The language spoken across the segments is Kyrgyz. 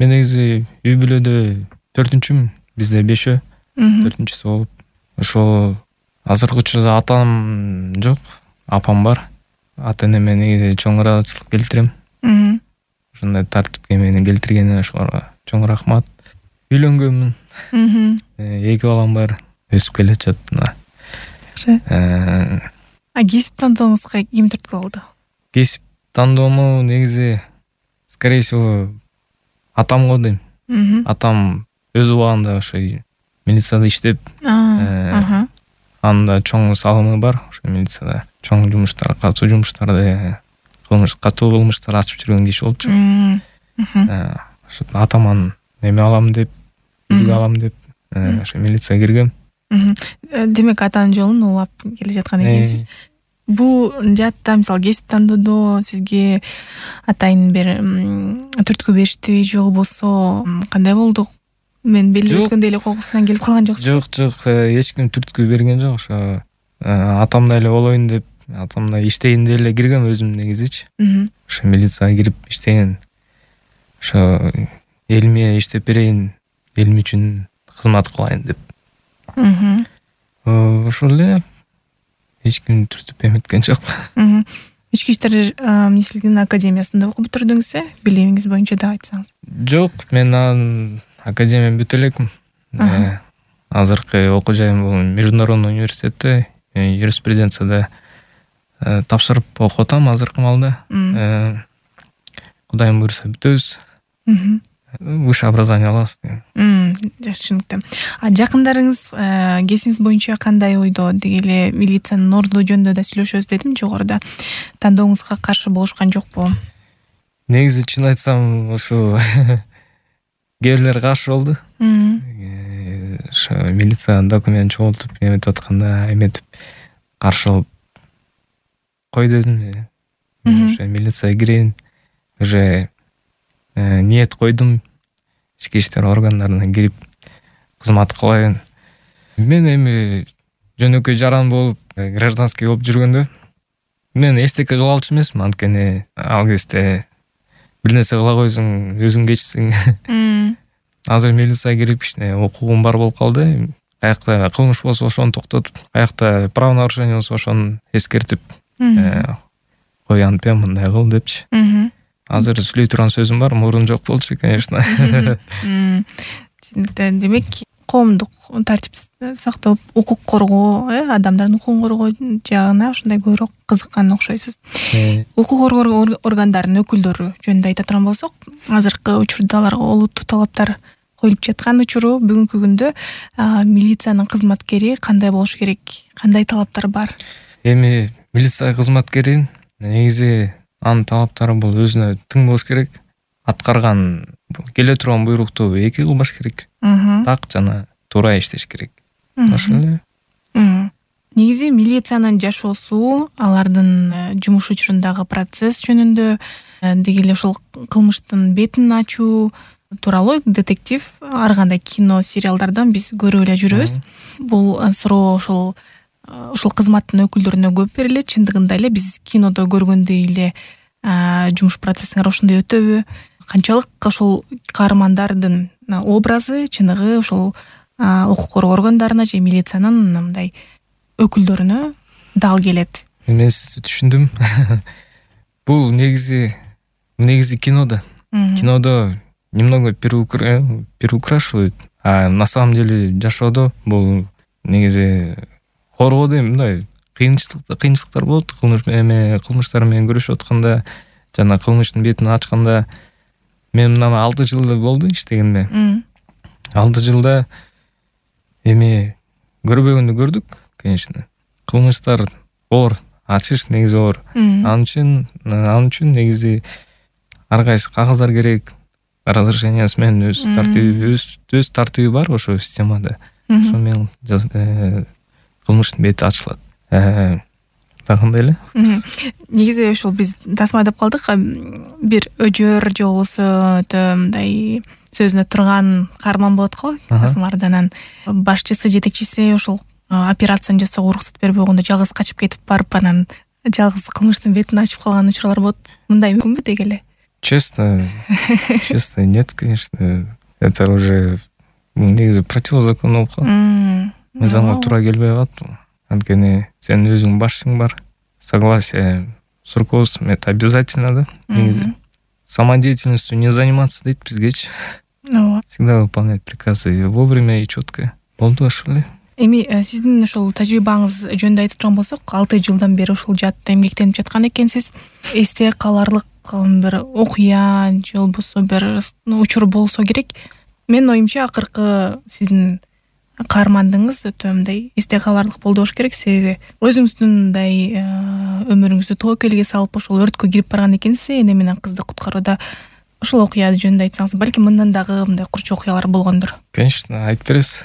Мен негизи үй бүлөдө 4-үчүмүн, бизде 5-өө, 4-үчүсү болуп. Ошол азыркы учурда атам жок, апам бар. Ата-энеме негизи чоң ыраазычылык келтирем. Ушундай тартипке мени келтиргенине ошолорго чоң рахмат. Үйлөнгөнмүн. 2 балам бар, өсүп келе жатат мына. Кесип тандооңузга ким түрткү болду? Кесип тандоому негизи скорее всего атам го дейм. Атам өз убагында ошо милицияда иштеп, анда чоң салымы бар, ошо милицияда чоң жумуштар, катуу жумуштарды, катуу кылмыштар ачып жүргөн киши болчу. Ошо атаман эме алам деп, үлгү алам деп, ошо милицияга киргем. Демек атанын жолун улап келе жаткан экенсиз. Бул жаатта мисалы кесип тандоодо сизге атайын бир түрткү бериштиби же болбосо кандай болду? Мен белгилеп өткөндөй эле кокусунан келип калган жоксуз? Жок, эч ким түрткү берген жок. Ошо атамдай эле болоюн деп, атамдай иштейин деп эле киргем өзүм негизичи. Ошо милицияга кирип иштеген. Ошо элиме иштеп берейин, элим үчүн кызмат кылайын деп. Ошол эле, эч ким түртүп эметкен жок. Ички иштер министрлигинин академиясында окуп бүтүрдүңүз, билимиңиз боюнча да айтсаңыз? Жок, мен академияны бүтө элекмин. Азыркы окуу жайым бул Международный университетте юриспруденцияда тапшырып окуп атам азыркы маалда. Кудайым буйруса бүтөбүз. Высшее образование алабыз. Жакшы, түшүнүктүү. Жакындарыңыз кесибиңиз боюнча кандай ойдо? Деги эле милициянын орду жөнүндө да сүйлөшөбүз дедим жогоруда. Тандооңузга каршы болушкан жокпу? Негизи чын айтсам, ошо кээ бирлер каршы болду. Ошо милиция документ чогултуп эметип атканда эметип каршы болуп кой дедим. Ошо милицияга кирейин. Уже ниет койдум, ички иштер органдарына кирип кызмат кылайын. Мен эми жөнөкөй жаран болуп, гражданский болуп жүргөндө мен эчтеке кыла алчу эмесмин, анткени ал кезде бир нерсе кыла койсоң өзүң кечсиң. Азыр милицияга кирип кичине укугум бар болуп калды. Каякта кылмыш болсо ошону токтотуп, каякта правонарушение болсо ошону эскертип кой, антпен мындай кыл депчи. Азыр сүйлөй турган сөзүм бар, мурун жок болчу, конечно. Демек, коомдук тартипти сактап, укук коргоо, адамдардын укугун коргоо жагына ушундай көбүрөөк кызыккан окшойсуз. Укук коргоо органдарынын өкүлдөрү жөнүндө айта турган болсок, азыркы учурда аларга олуттуу талаптар коюлуп жаткан учуру, бүгүнкү күндө милициянын кызматкери кандай болуш керек? Кандай талаптар бар? Эми милиция кызматкерин негизи анын талаптары бул өзүнө тың болуш керек. Аткарган келе турган буйрукту 2 кылбаш керек. Так жана туура иштеш керек. Ошол эле. Негизи милициянын жашоосу, алардын жумуш учурундагы процесс жөнүндө, деги эле ошол кылмыштын бетин ачуу тууралуу детектив ар кандай кино, сериалдардан биз көрүп эле жүрөбүз. Бул суроо ошол кызматтын өкүлдөрүнө көп берилет. Чындыгында эле биз кинодо көргөндөй эле жумуш процессиңер ошондой өтөбү? Канчалык ошол каармандардын образы, чыныгы ошол укук коргоо органдарына же милициянын мындай өкүлдөрүнө дал келет? Мен сизди түшүндүм. Бул негизи кинодо. Кинодо немного переукрашивают, а на самом деле жашоодо бул негизи коргоо дейм, мындай кыйынчылыктар болот. Кылмыштар менен күрөшүп атканда жана кылмыштын бетин ачканда, мен мына 6 жыл болду иштегенде. 6 жылда эми көрбөгөндү көрдүк, конечно. Кылмыштар оор, ачыш негизи оор. Анын үчүн негизи ар кайсы кагаздар керек. Разрешениясы менен өз тартиби бар ошо системада. Ошо менен кылмыштын бети ачылат. Кандай эле? Негизи ошол биз тасмадап калдык. Бир өжөр же болбосо мындай сөзүнө турган каарман болот го. Тасмалардан башчысы, жетекчиси ошол операцияны жасоого уруксат бербей койгондо жалгыз качып кетип барып, анан жалгыз кылмыштын бетин ачып калган учурлар болот. Мындай мүмкүнбү деги эле? Честно нет, конечно. Это уже негизи противозаконно болуп калат. Мыйзамга туура келбей калат. Анткени сенин өзүңдүн башчың бар. Согласие с руководством это обязательно, да? Негизи самодеятельностью не заниматься дейт бизгечи. Всегда выполнять приказы вовремя и четко. Болду ошол эле. Эми сиздин ошол тажрыйбаңыз жөнүндө айтып турган болсок, 6 жылдан бери ушул жаатта эмгектенип жаткан экенсиз. Эсте каларлык бир окуя же болбосо бир учур болсо керек. Менин оюмча акыркы сиздин каармандыгыңыз өтө мындай эсте каларлык болду болуш керек, себеби өзүңүздүн мындай өмүрүңүздү тобокелге салып ошол өрткө кирип барган экенсиз, эне менен кызды куткарууда. Ошол окуя жөнүндө айтсаңыз, балким мындан дагы мындай курчу окуялар болгондур. Конечно, айтып бересиз.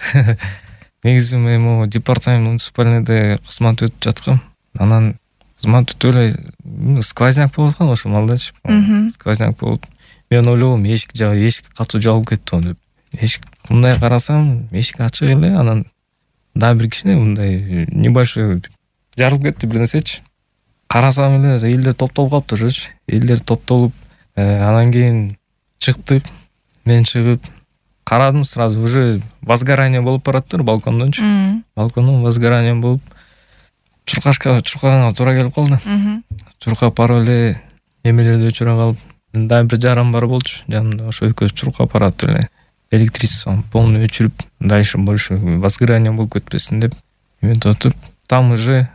Негизи мен могу департамент муниципальныйда кызмат өтүп жаткам. Анан кызмат өтүп эле сквозняк болуп аткан ошол малдачы. Сквозняк болуп, мен ойлогом эшик катуу жабылып кетти деп. Эшик мындай карасам, эшик ачык эле, анан дагы бир кичине мындай небольшой жарылып кетти бир нерсечи. Карасам эле элдер топтолуп калыптыр ошочу. Элдер топтолуп, анан кийин чыктык. Мен чыгып карадым, сразу уже возгорание болуп бараттыр балкондончу. Балкондон возгорание болуп, чуркаганга туура келип калды. Чуркап барып эле эмелерди өчүрө калып, дагы бир жаран бар болчу жанымда. Ошо экөөбүз чуркап баратып эле электричествону полный өчүрүп, дальше больше возгорание болуп кетпесин деп эметип отуп, там уже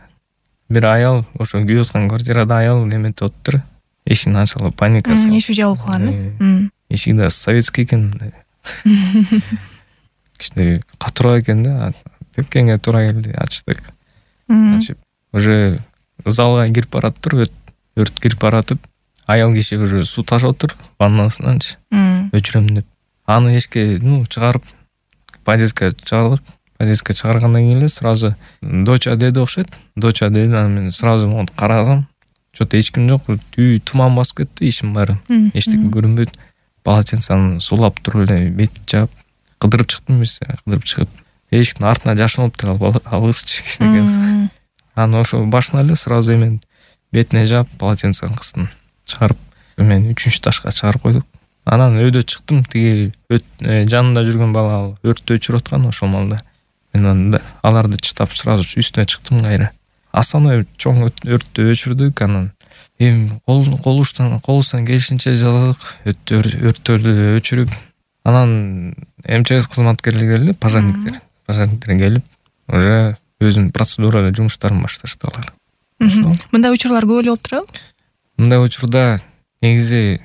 бир аял, ошо күйүп аткан квартирада аял эметип отур. Эшигин ачкыла, паника. Эшик жабылып калган. Эшик да советский экен. Кичине катуураак экен да. Тепкенге туура келди, ачтык. Ачып, уже залга кирип бараттыр, өрт кирип баратып, аял киши уже суу ташып отур ваннасынанчы. Өчүрөм деп. Аны эшикке, чыгарып, подъездге чыгардык. Подъездге чыгаргандан кийин эле сразу доча деди окшойт. Доча деди, анан мен сразу могу карасам, что-то эч ким жок, үй туман басып кетти, ишим баары. Эчтеке көрүнбөйт. Полотенцаны суулап туруп эле бет жаап, кыдырып чыктым биз, кыдырып чыгып, эшиктин артына жашынып туруп алгысчы кичинекенсиз. Анан ошо башына эле сразу эмен бетине жаап, полотенцаны кыстым. Чыгарып, мен 3-чү этажга чыгарып койдук. Анан өйдө чыктым, тиги жанында жүргөн бала өрттү өчүрүп аткан ошол малда. Мен аларды чытап сразу үстүнө чыктым кайра. Основной чоң өрттү өчүрдүк, анан колубуздан келишинче жаздык, өрттөрдү өчүрүп, анан МЧС кызматкерлери келди, пожарниктер келип, уже өзүнүн процедурада жумуштарын башташты алар. Мындай учурлар көп эле болуп турабы? Мындай учурда негизи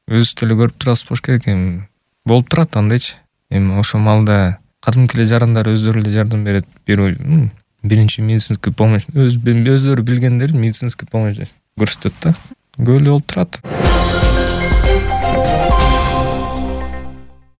өзүбүз деле көрүп турасыз болуш керек, эми болуп турат андайчы. Эми ошол малда кадимки эле жарандар өздөрү эле жардам берет, биринчи медицинский помощь өздөрү билгендер медицинский помощь көрсөтөт да. Көп эле болуп турат.